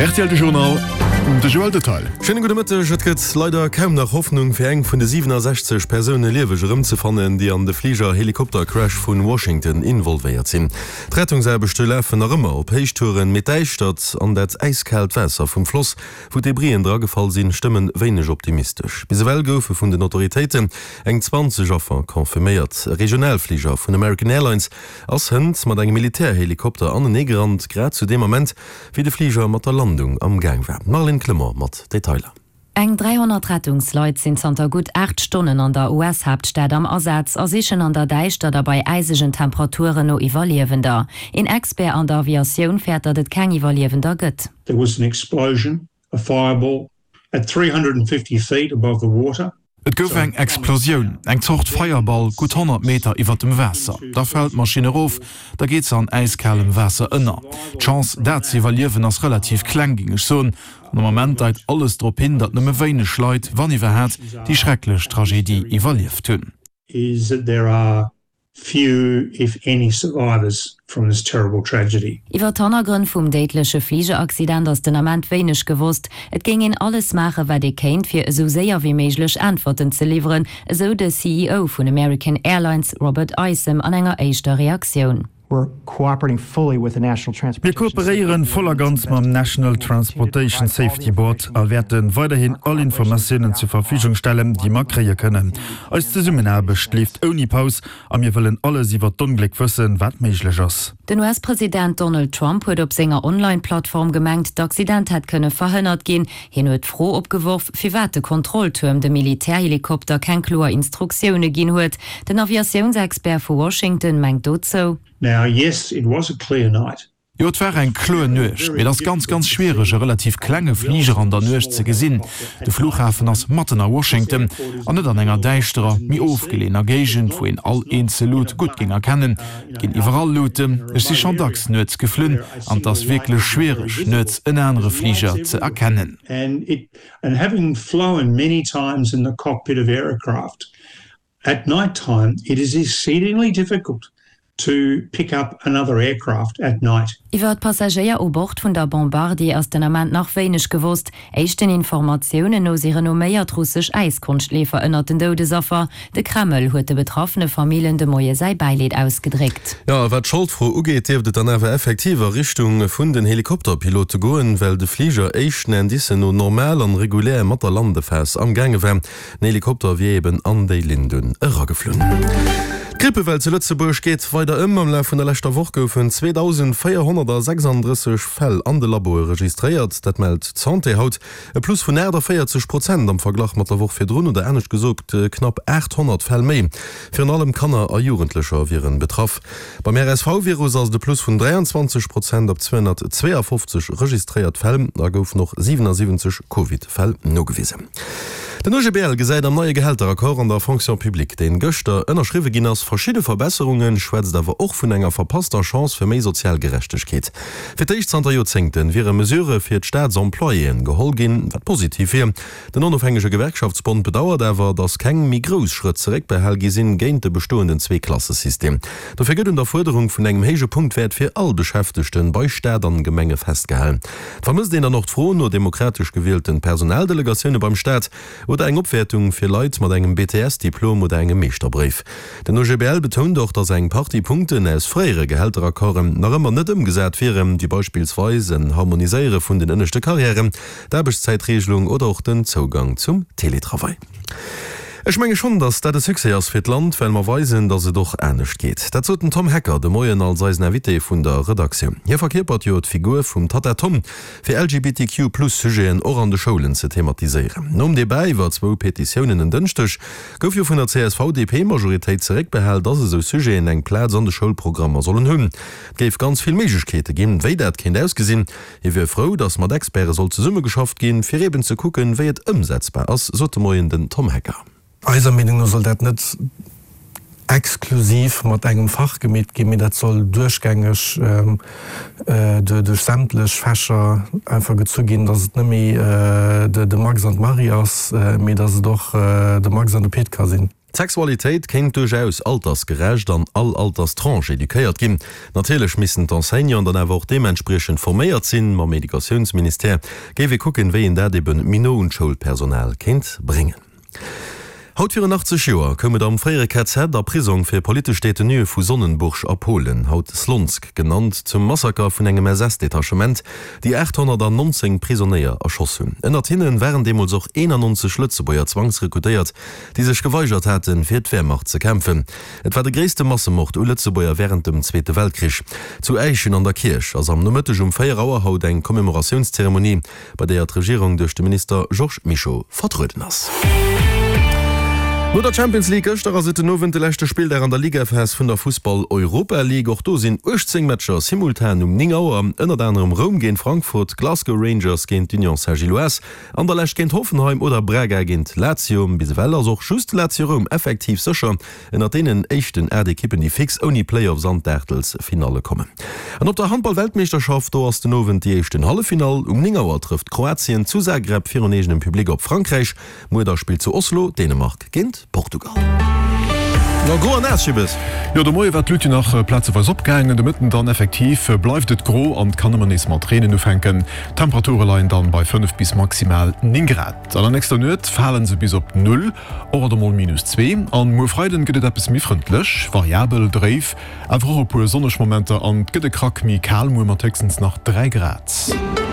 Rtl De Journal, de Joël Detail. Schéine gudde Mëtteg. Et gëtt leider kaum nach Hoffnung fir eng vun de 67 Persoune lieweg erëmzefannen, déi an de Fliger-Helikopter-Crash vun Washington involvéiert sinn. D'Rettungsaarbechte lafen nach ëmmer op Héichtouren, mee d'Däischtert an dat äiskaalt Waasser vum Floss, wou d'Debrisen dragefall sinn, stëmmen wéineg optimistesch. Bis ewell goufe vun den Autoritéiten eng 20 Affer confirméiert. E Regionalfliger vun American Airlines ass hënt mat engem Militärhelikopter aneneegerannt, grad zu deem Ament, wéi de Fliger mat der Landung am Gaang war. D'Marlène Clement mat Detailer. Eng 300 Rettungsleit sinn zanter gutt 8 Stonnen an der US-Haaptstad am Asaz a sichen an der Däischtert a bei äisegen Temperaturen no Iwwerliewender. Een Expert an der Aviatioun fäert, datt et keng Iwwerliewender gëtt. There was an explosion, a fireball, at 350 feet above the water. Et gouf eng Explosioun, eng Zort Feierball, gutt 100 Meter iwwer dem Waasser. Da fält d'Maschinn erof, da geet se an äiskalem Waasser ënner. D'Chance, dat ze iwwerliewen, ass relativ kleng, géing ech soen. An am Ament deit alles drop hin, datt nëmme wéineg Leit, wann iwwerhaat, déi schrecklech Tragedie iwwerlieft hunn. Few, if any, survivors from this terrible tragedy. Iwwer d'Hannergrënn vum déidleche Fligeraccident ass den Ament wéineg gewosst. Et géing een alles maachen, wat ee kéint, fir esou séier wéi méiglech Äntwerten ze liwweren, esou de CEO vun American Airlines Robert Isom an enger éischter Reaktioun. Mir kooperéieren voll a ganz mam National Transportation Safety Board a wäerte weiderhin all Informatiounen zur Verfügung stellen, déi mer kréie kënnen. Eis Zesummenaarbecht leeft ouni Paus a mir wëllen alles iwwer d'Ongléck wëssen, wat méiglech ass. Den US-President Donald Trump huet op senger Online-Plattform gemengt, d'Accident hätt kënne verhënnert ginn. Hien huet d'Fro opgeworf, firwat de Kontrolltuerm dem Militärhelikopter keng kloer Instruktioune ginn huet. Den Aviatiounsexpert vu Washington mengt dozou. Now, yes, it was a clear night. Jo, et war eng kloer Nuecht, mee et ass ganz, ganz schwiereg, e relativ klenge Fliger an der Nuecht ze gesinn. De Flughafen ass matten a Washington an net an enger däischterer, méi ofgeleeëner Géigend, wou een all eenzel Lut gutt géing erkennen. Et ginn iwwerall Luten. Ech si schonn dacks nuets geflunn an et ass wierklech schwiereg, nuets en anere Fliger ze erkennen. And having flown many times in the cockpit of aircraft, at night time it is exceedingly difficult to pick up another aircraft at night. Iwwer d'Passagéier u Bord vun der Bombardier ass den Ament nach wéineg gewosst. Éischten Informatiounen no si renomméiert russesch Äiskonschtleefer ënnert den Doudesaffer. De Kreml huet de betraffene Famillen de Moie säi Bäileed ausgedréckt. Jo, a wat d'Scholdfro ugeet, dierft et dann awer effektiv a Richtung vun den Helikopterpilote goen, well de Fliger éischten Indicen no normal an regulär mat der Landephas am gaange war. Den Helikopter wier eben an déi Linn dunn erageflunn. D'Grippewell zu Lëtzebuerg geet weider ëm. Am Laf vun der leschter Woch goufen 2.436 Fäll an de Laboe registréiert. Dat mellt d'Santé haut. E Plus vun 48 Prozent am Verglach mat der Woch virdrun, oder anescht gesot knapp 800 Fäll méi. Virun allem Kanner a Jugendlecher wieren betraff. Beim RSV-Virus ass et e Plus vun 23 Prozent op 252 registréiert Fäll. Da goufen och 77 Covid-Fäll nogewisen. Den OGBL gesäit am neie Gehälteraccord an der Fonction publique, deen gëschter ënnerschriwwe ginn ass, verschidde Verbesserungen, schwätzt awer och vun enger verpasster Chance fir méi sozial Gerechtegkeet. Fir d'éischt zanter Joerzéngte wiere Mesurë fir d'Staatsemployéen geholl ginn, wat positiv wier. Den onofhängege Gewerkschaftsbond bedauert awer, datt keng méi grouss Schrëtt zeréckbehal gi sinn géint de bestoenden Zweeklassesystem. Dofir gëtt un der Fuerderung vun engem héije Punktwäert fir all Beschäftegte bei Staat an Gemenge festgehalen. Et vermësst een dann och d'Fro no demokratesch gewielten Personaldelegatioune beim Staat. Oder eng Opwäertung fir Leit mat engem BTS-Diplom oder engem Meeschterbréif. Den OGBL betount och, datt eng Partie Punkten aus fréiere Gehälteraccorden nach ëmmer net ëmgesat wieren, wéi beispillsweis en Harmoniséiere vun den ënneschte Karriären, d'Aarbechtszäitreegelung oder och den Zougang zum Teletravail. Ech menge schonn, datt dat e Succès ass fir d'Land, well mer weisen, datt et och anescht geet. Dat sot den Tom Hecker de Moien als eisen Invité vun der Redaktioun. Hie verkierpert jo d'Figur vum Tatta Tom, fir LGBTQ plus Sujeten och an de Schoulen ze thematiséieren. Nom Debat iwwer zwou Petitiounen en Dënschdeg gouf jo vun der CSV-DP-Majoritéit zeréckbehal, dass esou Sujeten eng Plaz an de Schoulprogrammer sollen hunn. Et géif ganz vill Méiglechkeete ginn, wéi dat kéint ausgesinn. Hie wier frou, dass mat Experte soll zesummegeschafft ginn, fir eben ze kucken, wéi et ëmsetzbar ass, sot de Moien den Tom Hecker. Eiser Meenung no soll dat net exklusiv mat engem Fach gemeet ginn, mee dat soll duerchgängeg duerch sämtlech Fächer einfach gezu ginn, dass et net méi de Max an d'Marie ass, mee dass et och de Max an de Pit ka sinn. D'Sexualitéit kéint duerchaus altersgerecht an all Alterstranche eduquéiert ginn. Natierlech missten d'Enseignanten dann awer och deementspriechend forméiert sinn. Mam Educatiounsministère géif ee kucken, wéi een dat ebe méi no un d'Schoulpersonal kéint bréngen. Haut virun 80 Joer koum et am fréiere KZ a Prisong fir politesch Detenuë vu Sonnenburg a Polen, haut Slonsk genannt, zum Massaker vun engem SS-Detachement, déi 819 Prisonéier erschoss hunn. Ënnert hinne waren deemools och 91 Lëtzebuerger zwangsrekrutéiert, déi sech geweigert haten, fir d'Wehrmacht ze kämpfen. Et war de gréisste Massemord u Lëtzebuerger wärend dem Zweete Weltkrich. Zu Äischen an der Kierch ass am Nomëtteg um 4 Auer haut eng Commémoratiounszeremonie, bei deeër d'Regierung duerch de Minister Georges Mischo vertrueden ass. No der Champions League gëschter ass et den Owend de leschte Spilldag an der Ligaphas vun der Fussball-Europa League. Och do sinn 18 Matcher simultan um 9 Auer, ënnert anerem Roum géint Frankfurt, Glasgow Rangers géint d'Union Saint-Gilloise Anderlecht géint Hoffenheim oder Braga géint Lazio. Bis ewell ass och just Lazio Roum effektiv sécher ënnert deenen éischten 8 Ekippen, déi fix ouni Playoffs an d'Aachtelsfinalle kommen. An op der Handball-Weltmeeschterschaft, do ass den Owend déi éischten Halleffinall. Um 9 Auer trëfft Kroatien zu Zagreb virun eegenem Public op Frankräich. Muer da spillt zu Oslo Dänemark géint Portugal. No gro an naass, Schibbes. Jo, de Moie war d'Luut jo nach plazeweis opgaangen, de Mëtten dann effektiv bleift et gro an et kann ëmmer nees mat reenen ufänken. D'Temperature leien dann bei 5 bis maximal 9 Grad. An der nächster Nuet falen se bis op Null, och alt emol minus 2. An muer Freiden gëtt et eppes méi frëndlech, variabel, dréif, awer och e puer sonneg Momenter an et gëtt e Krack méi kal muer mat héchstens nach 3 Grad.